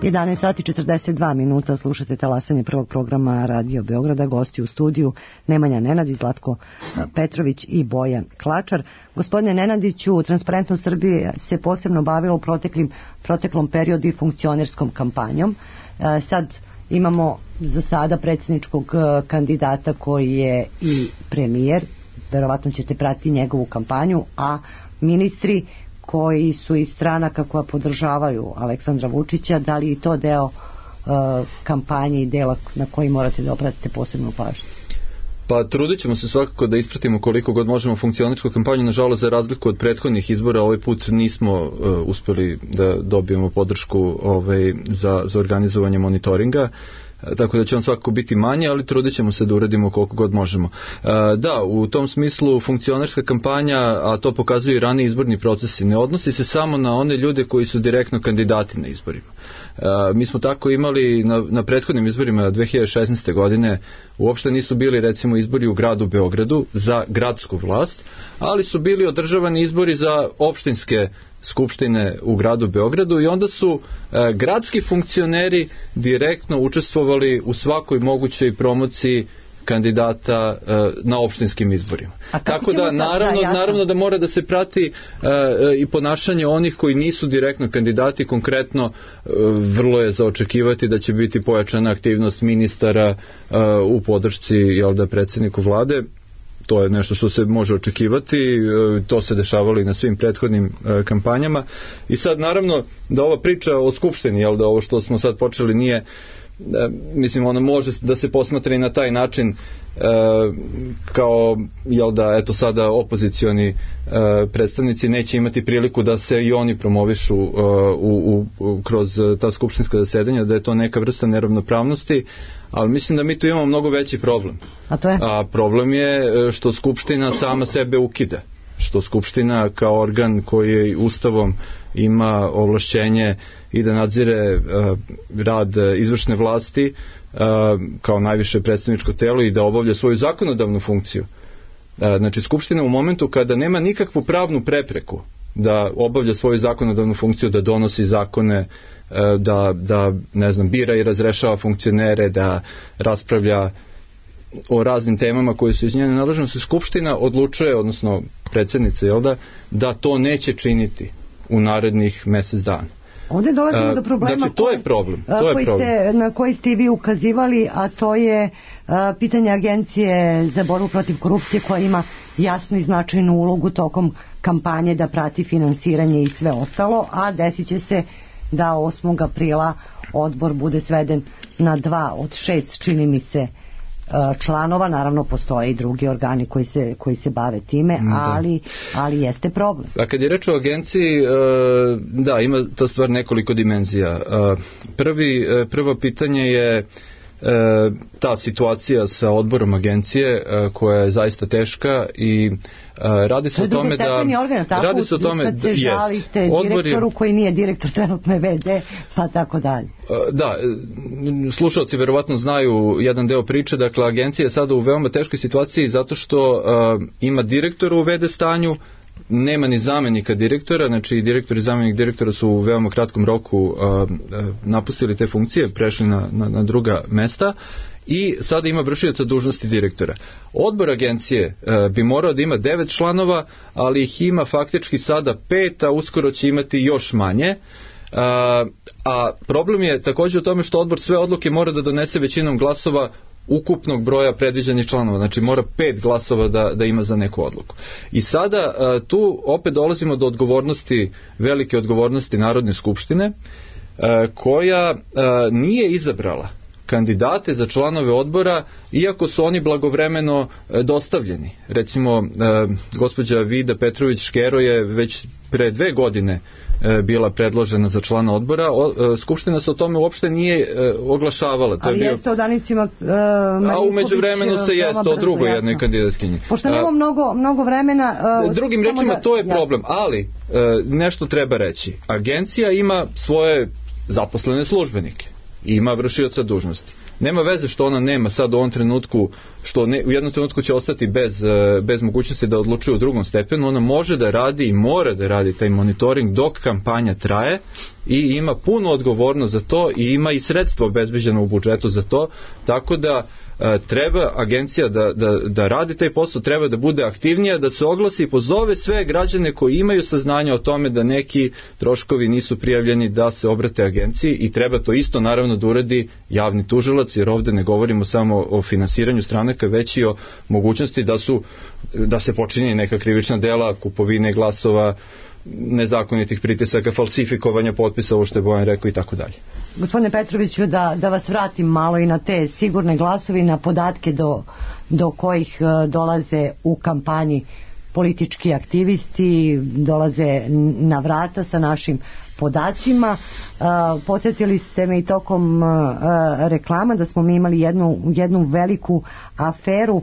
11 sati 42 minuta, slušate talasanje prvog programa Radio Beograda, gosti u studiju Nemanja Nenadić, Zlatko Petrović i Bojan Klačar. Gospodine Nenadiću, Transparentnost Srbije se posebno bavilo u proteklom periodu i funkcionerskom kampanjom. Sad imamo za sada predsjedničkog kandidata koji je i premijer, verovatno ćete pratiti njegovu kampanju, a ministri koji su iz stranaka koja podržavaju Aleksandra Vučića, da li i to deo kampanje i dela na koji morate da obratite posebnu pažnju? Pa trudit ćemo se svakako da ispratimo koliko god možemo funkcioničku kampanju. Nažalost, za razliku od prethodnih izbora, ovaj put nismo uspeli da dobijemo podršku za organizovanje monitoringa, tako da će on svakako biti manje, ali trudit ćemo se da uradimo koliko god možemo. Da, u tom smislu funkcionerska kampanja, a to pokazuju i raniji izborni procesi, ne odnosi se samo na one ljude koji su direktno kandidati na izborima. Mi smo tako imali na prethodnim izborima 2016. godine, uopšte nisu bili recimo izbori u gradu Beogradu za gradsku vlast, ali su bili održavani izbori za opštinske Skupštine u gradu Beogradu i onda su gradski funkcioneri direktno učestvovali u svakoj mogućoj promociji kandidata na opštinskim izborima. Tako da naravno da mora da se prati i ponašanje onih koji nisu direktno kandidati. Konkretno vrlo je za očekivati da će biti pojačana aktivnost ministara u podršci predsjedniku vlade. To je nešto što se može očekivati, to se dešavalo i na svim prethodnim kampanjama. I sad naravno da ova priča o Skupštini, da ovo što smo sad počeli nije, mislim, ona može da se posmatra i na taj način kao, eto sada opozicioni predstavnici neće imati priliku da se i oni promovišu kroz ta skupštinska zasedanja, da je to neka vrsta neravnopravnosti, ali mislim da mi tu imamo mnogo veći problem. A to je? A problem je što Skupština sama sebe ukida. Što Skupština kao organ koji je Ustavom ima ovlašćenje i da nadzire rad izvršne vlasti kao najviše predstavničko telo i da obavlja svoju zakonodavnu funkciju. Znači, Skupština u momentu kada nema nikakvu pravnu prepreku da obavlja svoju zakonodavnu funkciju, da donosi zakone, da ne znam, bira i razrešava funkcionere, da raspravlja o raznim temama koje su iz njene nadležnosti, Skupština odlučuje, odnosno predsjednica, da to neće činiti u narednih mjesec dana. Ovdje dolazimo do problema, znači, to je problem. Na koji ste i vi ukazivali, a to je pitanje Agencije za borbu protiv korupcije koja ima jasnu i značajnu ulogu tokom kampanje da prati finansiranje i sve ostalo, a desit će se da 8. aprila odbor bude sveden na 2 od 6, čini mi se, članova. Naravno postoje i drugi organi koji se bave time, ali jeste problem. A kad je reč o agenciji, da, ima ta stvar nekoliko dimenzija. Prvo pitanje je ta situacija sa odborom agencije koja je zaista teška i radi se o tome da radi se o tome da se žalite direktoru koji nije direktor, trenutno je VD, pa tako dalje. Da, slušalci verovatno znaju jedan deo priče. Dakle, agencija je sada u veoma teškoj situaciji zato što ima direktora u VD stanju, nema ni zamenika direktora, znači direktor i zamenik direktora su u veoma kratkom roku napustili te funkcije, prešli na druga mesta i sada ima vršioca dužnosti direktora. Odbor agencije bi morao da ima 9 članova, ali ih ima faktički sada 5, a uskoro će imati još manje. A problem je također u tome što odbor sve odluke mora da donese većinom glasova ukupnog broja predviđenih članova, znači mora 5 glasova da ima za neku odluku. I sada tu opet dolazimo do odgovornosti, velike odgovornosti Narodne skupštine, koja nije izabrala kandidate za članove odbora, iako su oni blagovremeno dostavljeni. Recimo, gospođa Vida Petrović-Škero je već pre 2 godine bila predložena za člana odbora. Skupština se o tome uopšte nije oglašavala. Ali jeste o Danicima a u međuvremenu se jeste o drugoj jednoj kandidatkinji. Pošto nema mnogo vremena... Drugim rečima, to je problem, ali nešto treba reći. Agencija ima svoje zaposlene službenike. Ima vršioca dužnosti. Nema veze što ona nema sad u ovom trenutku, što u jednom trenutku će ostati bez mogućnosti da odlučuje u drugom stepenu. Ona može da radi i mora da radi taj monitoring dok kampanja traje i ima punu odgovornost za to i ima i sredstva obezbeđeno u budžetu za to, tako da treba agencija da radi taj posao, treba da bude aktivnija, da se oglasi i pozove sve građane koji imaju saznanja o tome da neki troškovi nisu prijavljeni, da se obrate agenciji i treba to isto naravno da uradi javni tužilac, jer ovdje ne govorimo samo o finansiranju stranaka, već i o mogućnosti da se počini neka krivična dela, kupovine glasova, nezakonitih pritisaka, falsifikovanja potpisa, ovo što je Bojan rekao i tako dalje. Gospodine Petroviću, da vas vratim malo i na te sigurne glasovi, na podatke do kojih dolaze u kampanji politički aktivisti, dolaze na vrata sa našim podacima. Podsjetili ste me i tokom reklama da smo mi imali jednu veliku aferu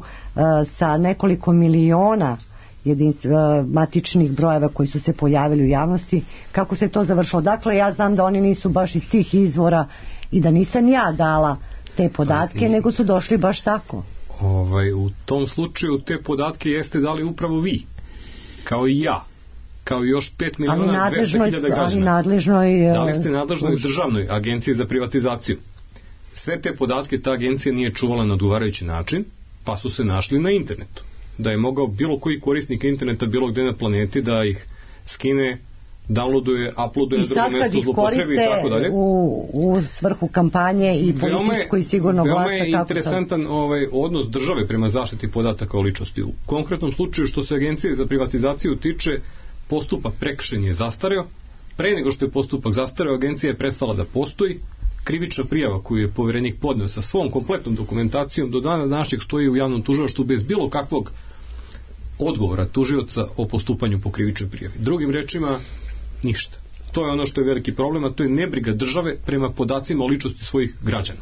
sa nekoliko miliona matičnih brojeva koji su se pojavili u javnosti. Kako se to završilo? Dakle, ja znam da oni nisu baš iz tih izvora i da nisam ja dala te podatke, nego su došli baš tako. U tom slučaju te podatke jeste dali upravo vi, kao i ja, kao i još 5 miliona 200 hiljada građana. Da li ste nadležnoj državnoj agenciji za privatizaciju? Sve te podatke ta agencija nije čuvala na odgovarajući način, pa su se našli na internetu. Da je mogao bilo koji korisnik interneta bilo gde na planeti da ih skine, downloaduje, uploaduje na drugo mesto, zlopotrebi i tako dalje. U svrhu kampanje i političko i sigurno glasa. Veoma je interesantan odnos države prema zaštiti podataka o ličnosti. U konkretnom slučaju što se agencije za privatizaciju tiče, postupak prekršen je zastareo. Pre nego što je postupak zastareo, agencija je prestala da postoji. Krivična prijava koju je poverenik podneo sa svom kompletnom dokumentacijom do dana današnjeg stoji u javnom tužilaštvu bez bilo kakvog odgovora tužioca o postupanju po krivičnoj prijavi. Drugim rečima, ništa. To je ono što je veliki problem, a to je nebriga države prema podacima o ličnosti svojih građana.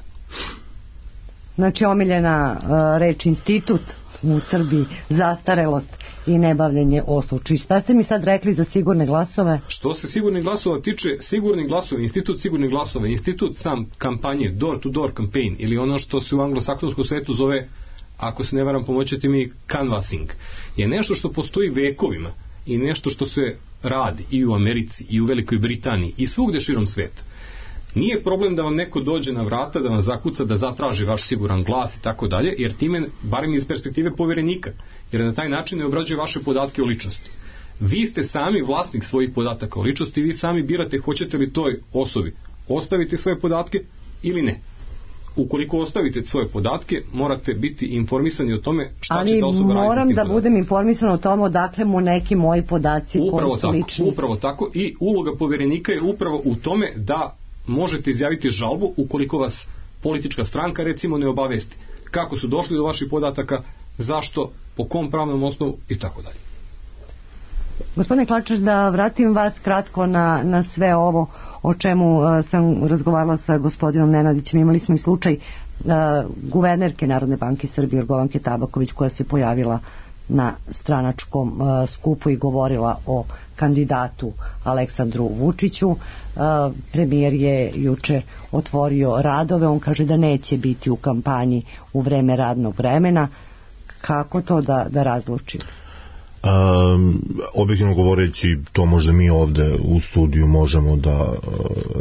Znači, omiljena reč institut u Srbiji, zastarelost i nebavljenje osluči. Šta ste mi sad rekli za sigurne glasove? Što se sigurnih glasova tiče, sigurni glasovi, institut sigurnih glasova, institut sam kampanje, door-to-door campaign, ili ono što se u anglosaksonskom svetu zove, ako se ne varam, pomoćete mi, canvassing, je nešto što postoji vekovima i nešto što se radi i u Americi, i u Velikoj Britaniji, i svugde širom sveta. Nije problem da vam neko dođe na vrata, da vam zakuca, da zatraži vaš siguran glas i tako dalje, jer time, barem iz perspektive poverenika, jer na taj način ne obrađuje vaše podatke o ličnosti. Vi ste sami vlasnik svojih podataka o ličnosti, vi sami birate hoćete li toj osobi ostaviti svoje podatke ili ne. Ukoliko ostavite svoje podatke, morate biti informisani o tome šta će ta osoba raditi s tim podacima. Ali moram da budem informisan o tome odakle mu neki moji podaci koji su lični. Upravo tako, i uloga poverenika je upravo u tome da možete izjaviti žalbu ukoliko vas politička stranka recimo ne obavesti kako su došli do vaših podataka, zašto, po kom pravnom osnovu i tako dalje. Gospodine Klačar, da vratim vas kratko na sve ovo o čemu sam razgovarala sa gospodinom Nenadićem. Imali smo i slučaj guvernerke Narodne banke Srbije Jorgovanke Tabaković koja se pojavila na stranačkom skupu i govorila o kandidatu Aleksandru Vučiću. Premijer je juče otvorio radove, on kaže da neće biti u kampanji u vreme radnog vremena. Kako to da razlučimo? Objektivno govoreći, to možda mi ovde u studiju možemo da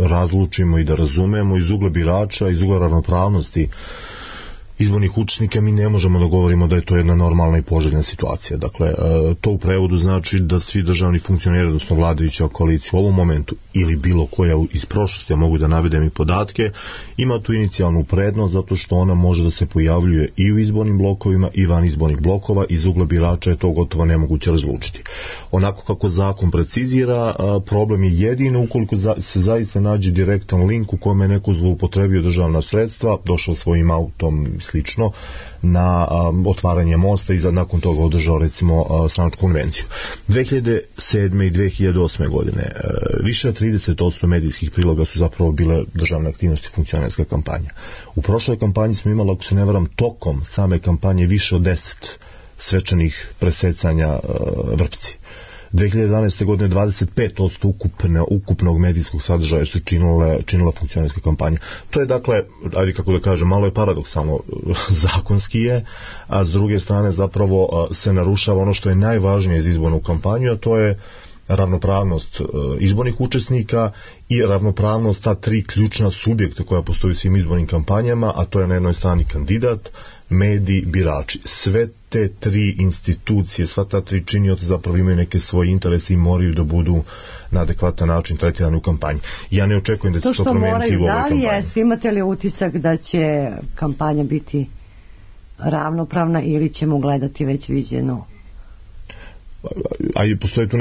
razlučimo i da razumemo iz ugla birača, iz ugla ravnopravnosti izbornih učesnika. Mi ne možemo da govorimo da je to jedna normalna i poželjna situacija. Dakle, to u prevodu znači da svi državni funkcioneri, odnosno vladajuća koalicija u ovom momentu ili bilo koja iz prošlosti, ja mogu da navedem i podatke, ima tu inicijalnu prednost zato što ona može da se pojavljuje i u izbornim blokovima i van izbornih blokova. Iz ugla birača je to gotovo nemoguće razlučiti. Onako kako zakon precizira, problem je jedino ukoliko se zaista nađe direktan link u kome je neko zloupotrebio državna sredstva, došao svojim autom slično na otvaranje mosta i nakon toga održao recimo stranačku konvenciju. 2007. i 2008. godine više od 30% medijskih priloga su zapravo bile državne aktivnosti, funkcionerska kampanja. U prošloj kampanji smo imali, ako se ne varam, tokom same kampanje više od 10 svečanih presecanja vrpci. 2012. godine 25% ukupnog medijskog sadržaja su činila funkcionerska kampanja. To je dakle, ajde kako da kažem, malo je paradoksalno, zakonski je, a s druge strane zapravo se narušava ono što je najvažnije za izbornu kampanju, a to je ravnopravnost izbornih učesnika i ravnopravnost ta tri ključna subjekta koja postoji u svim izbornim kampanjama, a to je na jednoj strani kandidat, mediji, birači. Sve te tri institucije, sva ta tri činioca zapravo imaju neke svoje interese i moraju da budu na adekvatan način tretirani u kampanji. Ja ne očekujem da će to promeniti u ovoj kampanji. Da li je, imate li utisak da će kampanja biti ravnopravna ili ćemo gledati već viđeno? A postoje tu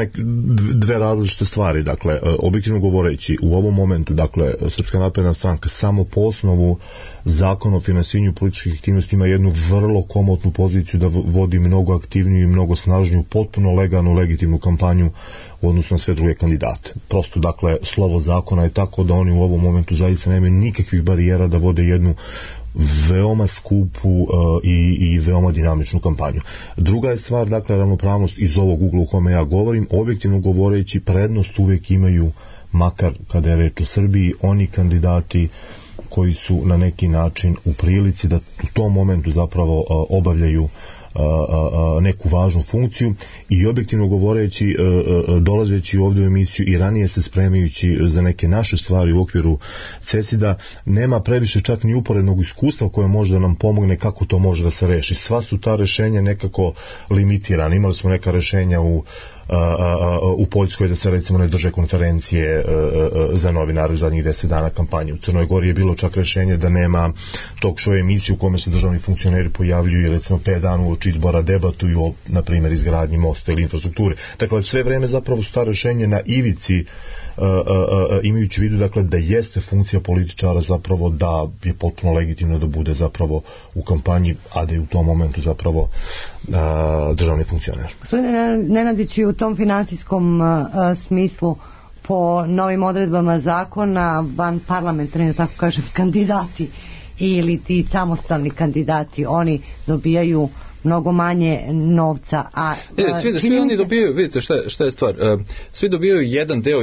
dve različite stvari. Dakle, objektivno govoreći, u ovom momentu, dakle, Srpska napredna stranka samo po osnovu zakona o finansiranju političkih aktivnosti ima jednu vrlo komotnu poziciju da vodi mnogo aktivniju i mnogo snažniju, potpuno legalnu, legitimnu kampanju u odnosu na sve druge kandidate. Prosto, dakle, slovo zakona je tako da oni u ovom momentu zaista nemaju nikakvih barijera da vode jednu veoma skupu i veoma dinamičnu kampanju. Druga je stvar, dakle, ravnopravnost iz ovog ugla u kome ja govorim. Objektivno govoreći, prednost uvek imaju, makar kada je reč o Srbiji, oni kandidati koji su na neki način u prilici da u tom momentu zapravo obavljaju neku važnu funkciju i objektivno govoreći, dolazeći ovdje u emisiju i ranije se spremajući za neke naše stvari u okviru CESID-a, nema previše čak ni uporednog iskustva koje može da nam pomogne kako to može da se reši. Sva su ta rešenja nekako limitirana. Imali smo neka rešenja u Poljskoj da se recimo ne drže konferencije za novinare u zadnjih 10 dana kampanje. U Crnoj Gori je bilo čak rešenje da nema talk show emisiju u kome se državni funkcioneri pojavljuju i recimo 5 dana uoči izbora debatuju o, na primjer, izgradnji mosta ili infrastrukture. Dakle, sve vreme zapravo su ta rešenje na ivici, imajući u vidu, dakle, da jeste funkcija političara zapravo da je potpuno legitimno da bude zapravo u kampanji, a da je u tom momentu zapravo državni funkcioner. Gospodine Nenadić, i u tom finansijskom smislu, po novim odredbama zakona, van parlamentarni, tako kažem, kandidati ili ti samostalni kandidati, oni dobijaju mnogo manje novca, a svi oni dobijaju, vidite šta je stvar, svi dobijaju jedan deo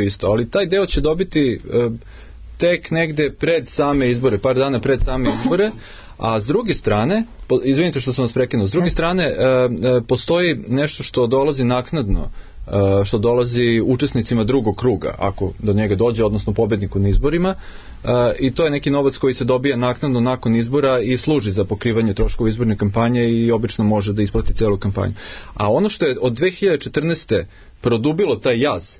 isto, ali taj deo će dobiti tek negde pred same izbore, par dana pred same izbore, a s druge strane, izvinite što sam vas prekinuo, s druge strane postoji nešto što dolazi naknadno, što dolazi učesnicima drugog kruga, ako do njega dođe, odnosno pobedniku na izborima, i to je neki novac koji se dobija naknadno nakon izbora i služi za pokrivanje troškova izborne kampanje i obično može da isplati celu kampanju. A ono što je od 2014. produbilo taj jaz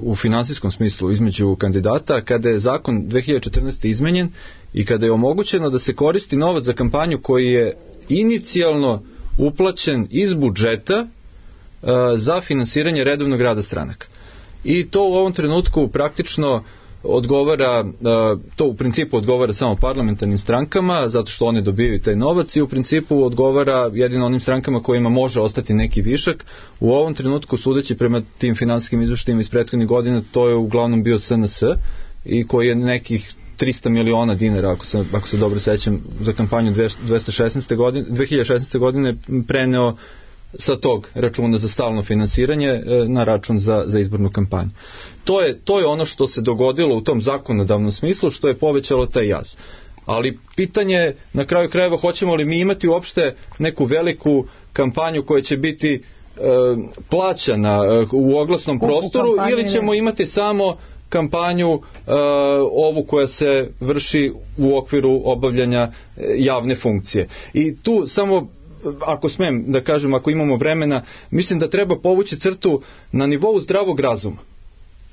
u finansijskom smislu između kandidata, kada je zakon 2014. izmenjen i kada je omogućeno da se koristi novac za kampanju koji je inicijalno uplaćen iz budžeta za finansiranje redovnog rada stranaka. I to u ovom trenutku praktično odgovara, to u principu odgovara samo parlamentarnim strankama, zato što one dobijaju taj novac, i u principu odgovara jedino onim strankama kojima može ostati neki višak. U ovom trenutku, sudeći prema tim finansijskim izveštajima iz prethodnih godina, to je uglavnom bio SNS, i koji je nekih 300 miliona dinara, ako se dobro sećam, za kampanju 2016. godine preneo sa tog računa za stalno finansiranje na račun za izbornu kampanju. To je ono što se dogodilo u tom zakonodavnom smislu, što je povećalo taj jaz. Ali pitanje je, na kraju krajeva, hoćemo li mi imati uopšte neku veliku kampanju koja će biti plaćana u oglasnom prostoru, ili ćemo imati samo kampanju ovu koja se vrši u okviru obavljanja javne funkcije. I tu samo, ako smem da kažem, ako imamo vremena, mislim da treba povući crtu na nivou zdravog razuma.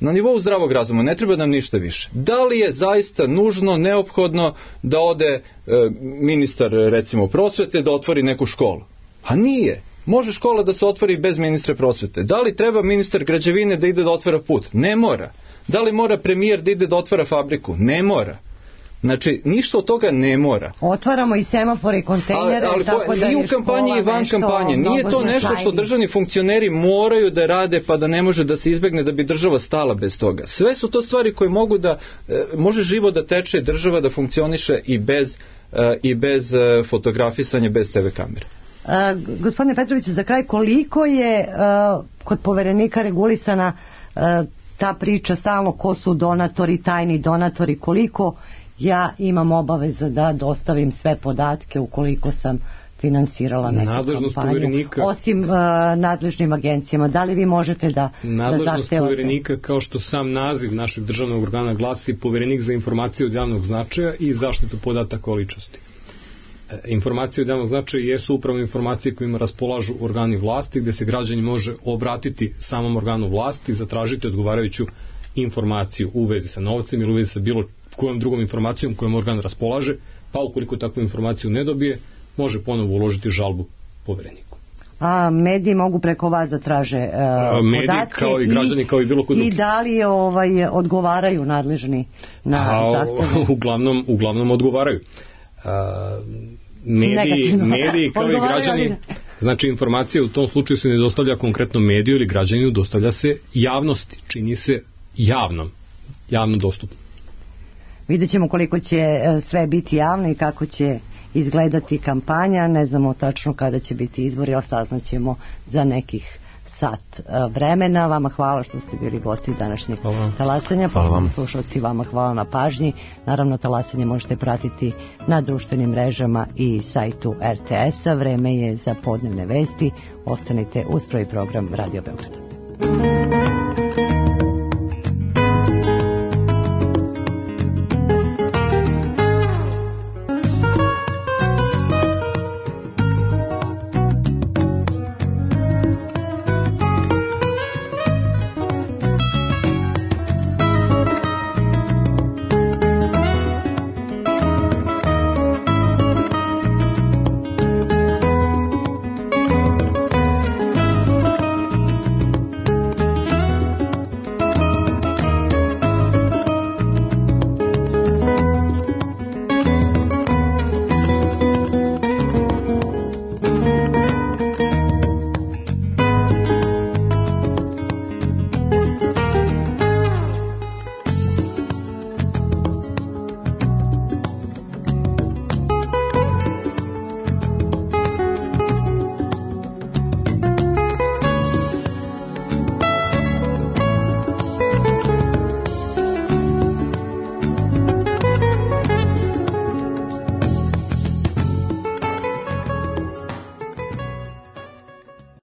Na nivou zdravog razuma, ne treba nam ništa više. Da li je zaista nužno, neophodno da ode ministar, recimo, prosvete, da otvori neku školu? A nije. Može škola da se otvori bez ministra prosvete. Da li treba ministar građevine da ide da otvara put? Ne mora. Da li mora premijer da ide da otvara fabriku? Ne mora. Znači, ništa od toga ne mora. Otvaramo i semafore i kontejnere, tako da i u kampanji i van kampanje. Nije to nešto što državni funkcioneri moraju da rade, pa da ne može da se izbegne, da bi država stala bez toga. Sve su to stvari koje mogu da, može živo da teče, država da funkcioniše i bez fotografisanja, bez TV kamere. Gospodine Petroviću, za kraj, koliko je kod Poverenika regulisana ta priča stalno, ko su donatori, tajni donatori, koliko ja imam obaveza da dostavim sve podatke ukoliko sam finansirala neku kampanju, osim nadležnim agencijama? Da li vi možete da nadležnost Poverenika, kao što sam naziv našeg državnog organa glasi, Poverenik za informacije od javnog značaja i zaštitu podataka o ličnosti. Informacije od javnog značaja jesu upravo informacije kojima raspolažu organi vlasti, gde se građani može obratiti samom organu vlasti, zatražiti odgovarajuću informaciju u vezi sa novcem ili u vezi sa bilo kojom drugom informacijom kojom organ raspolaže, pa ukoliko takvu informaciju ne dobije, može ponovo uložiti žalbu Povereniku. A mediji mogu preko vas da traže mediji, podatke kao i građani, kao i bilo ko drugi. I da li odgovaraju nadležni na zahteve? Uglavnom odgovaraju. Mediji kao i građani, znači informacija u tom slučaju se ne dostavlja konkretnom mediju ili građaninu, dostavlja se javnosti, čini se javno dostupno. Vidjet ćemo koliko će sve biti javno i kako će izgledati kampanja, ne znamo tačno kada će biti izbori, ali saznaćemo za nekih sat vremena. Vama hvala što ste bili gosti današnjeg talasanja. Slušalci, vama hvala na pažnji. Naravno, talasanje možete pratiti na društvenim mrežama i sajtu RTS-a. Vreme je za podnevne vesti. Ostanite uz prvi program Radio Beograda.